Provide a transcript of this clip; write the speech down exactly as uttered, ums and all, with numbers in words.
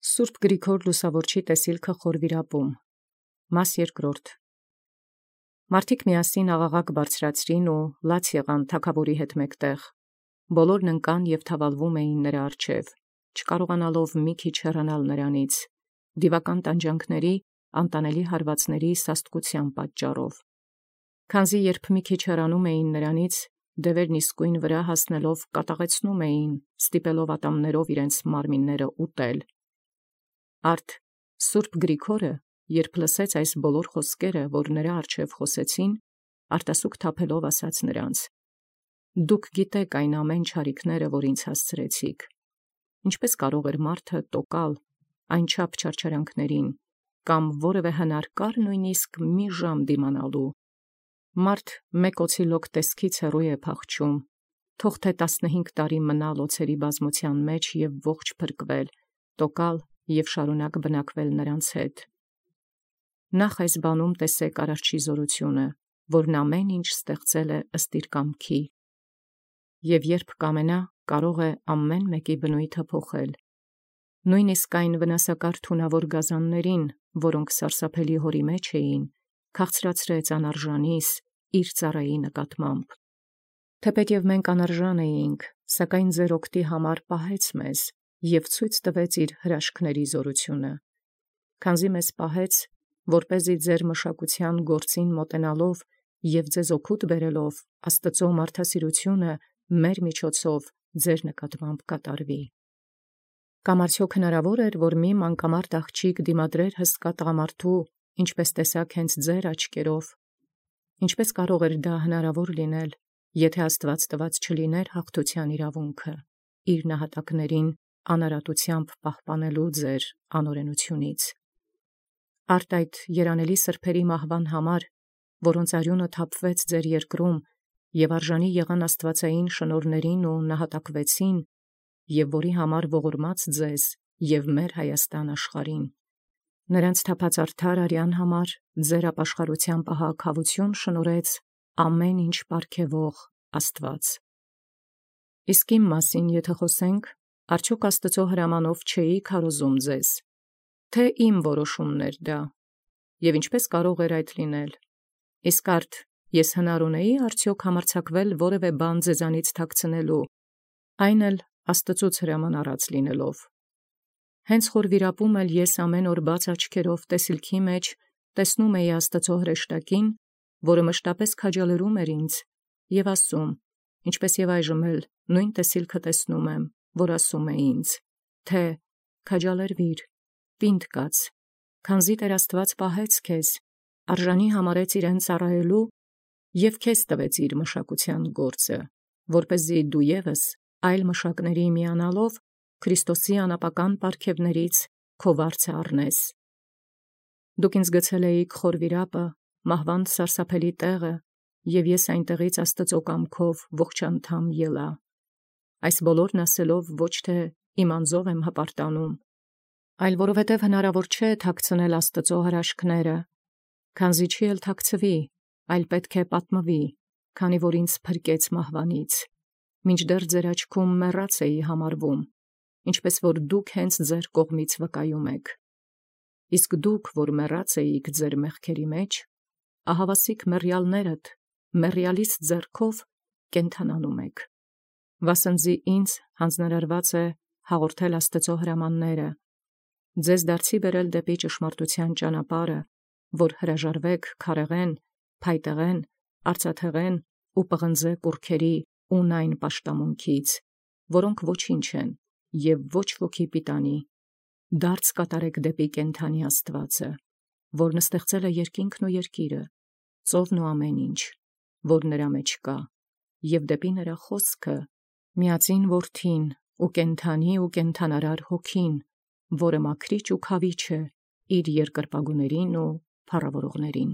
Սուրբ Գրիգոր Լուսավորչի տեսիլքը խորվիրապում, մաս երկրորդ. Մարդիկ միասին աղաղակ բարձրացրին ու լաց եղան թագաւորի հետ մեկտեղ, բոլորն ընկան և թավալվում էին նրա առջև, չկարողանալով մի քիչ հեռանալ նրանից, դիվական տանջանքների, անտանելի հարվածների սաստկության պատճառով. Քանզի երբ մի քիչ հեռանում էին նրանից, դևերն իսկույն վրա հասնելով կատաղեցնում էին, ստիպելով ատամներով իրենց մարմինները ուտել. Արդ Սուրբ Գրիգորը, երբ լսեց այս բոլոր խոսքերը, որ նրա առջև խոսեցին, արտասուք թափելով ասաց նրանց. Դուք գիտեք այն ամեն չարիքները, որ ինձ հասցրեցիք. ինչպես կարող էր մարդը տոկալ այնչափ չարչարանքներին, կամ որևէ հնար կար նույնիսկ մի ժամ դիմանալու. Մարդ մեկ օցիլոկ տեսքից հեռու է փախչում, թող թե տասնհինգ տարի մնալ օձերի բազմության մեջ և ողջ փրկվել, տոկալ և շարունակ բնակվել նրանց հետ. Նախ այս բանում տեսեք Արարչի զորությունը, որն ամեն ինչ ստեղծել է ըստ իր կամքի, և երբ կամենա, կարող է ամեն մեկի բնույթը փոխել, նույնիսկ այն վնասակար թունավոր գազաններին, որոնք սարսափելի հորի մեջ էին, քաղցրացրեց անարժանիս իր ծառայի նկատմամբ. Թեպետև մենք անարժան էինք, սակայն ձեր օգտի համար պահեց մեզ և ցույց տվեց իր հրաշքների զորությունը, քանզի մեզ պահեց, որպեսզի ձեր մշակության գործին մոտենալով և ձեզ օգուտ բերելով Աստծու մարդասիրությունը մեր միջոցով ձեր նկատմամբ կատարվի. Կամ արդյոք հնարավոր էր, որ մի մանկամարդ աղջիկ դիմադրեր հսկա տղամարդու, ինչպես տեսաք հենց ձեր աչքերով, ինչպես կարող էր դա հնարավոր լինել, եթե Աստված տված չլիներ հաղթության իրավունքը, իր նահատակներին անարատությամբ պահպանելու ձեր անօրենությունից. Արդ այդ երանելի սրբերի մահվան համար, որոնց արյունը թափվեց ձեր երկրում և արժանի եղան աստվածային շնորհներին ու նահատակվեցին, և որի համար ողորմած ձեզ և մեր Հայաստան աշխարհին, նրանց թափած արդար արյան համար ձեր ապաշխարության պահակահավություն շնորհեց ամեն ինչ պարգևող Աստված. Իսկ իմ մասին եթե խոսենք, արդյոք Աստծու հրամանով չէի քարոզում ձեզ, թե իմ որոշումն էր դա, և ինչպես կարող էր այդ լինել, իսկ արդ ես հնար ունեի արդյոք համարձակվել որևէ բան ձեզանից թաքցնելու, այն էլ Աստծուց հրաման առած լինելով. Հենց խորվիրապում էլ ես ամեն օր բաց աչքերով տեսիլքի մեջ տեսնում էի Աստծու հրեշտակին, որը մշտապես քաջալերում էր ինձ և ասում, ինչպես և այժմ էլ նույն տեսիլքը տեսնում եմ, որ ասում է ինձ, թե քաջալերվիր, պինդ կաց, քանզի Տեր Աստված պահեց քեզ, արժանի համարեց իրեն ծառայելու և քեզ տվեց իր մշակության գործը, որպեսզի դու ևս այլ մշակների միանալով Քրիստոսի անապական պարգևներից քո վարձը առնես. Դուք ինձ գցել էիք խորվիրապը, մահվան սարսափելի տեղը, և ես այնտեղից Աստծու կամքով ողջ անդամ ելա, այս բոլորն ասելով ոչ թե իմ անձով եմ հպարտանում, այլ որովհետև հնարավոր չէ թաքցնել Աստծու հրաշքները, քանզի չի էլ թաքցվի, այլ պետք է պատմվի, քանի որ ինձ փրկեց մահվանից, մինչդեռ ձեր աչքում մեռած էի համարվում, ինչպես որ դուք հենց ձեր կողմից վկայում եք. իսկ դուք, որ մեռած էիք ձեր մեղքերի մեջ, ահավասիկ մեռյալներդ մեռյալիս ձեռքով կենդանանում եք, վասնզի ինձ հանձնարարված է հաղորդել Աստծու հրամանները, ձեզ դարձի բերել դեպի ճշմարտության ճանապարհը, որ հրաժարվեք քարեղեն, փայտեղեն, արծաթեղեն ու պղնձե կուռքերի ունայն պաշտամունքից, որոնք ոչինչ են և ոչ ոքի պիտանի, դարձ կատարեք դեպի կենդանի Աստվածը, որն ստեղծել է երկինքն ու երկիրը, ծովն ու ամեն ինչ, որ նրա մեջ կա, և դեպի նրա խոսքը, միածին Որդին ու կենդանի ու կենդանարար Հոգին, որը մաքրիչ ու քավիչ է իր երկրպագուներին ու փառավորողներին։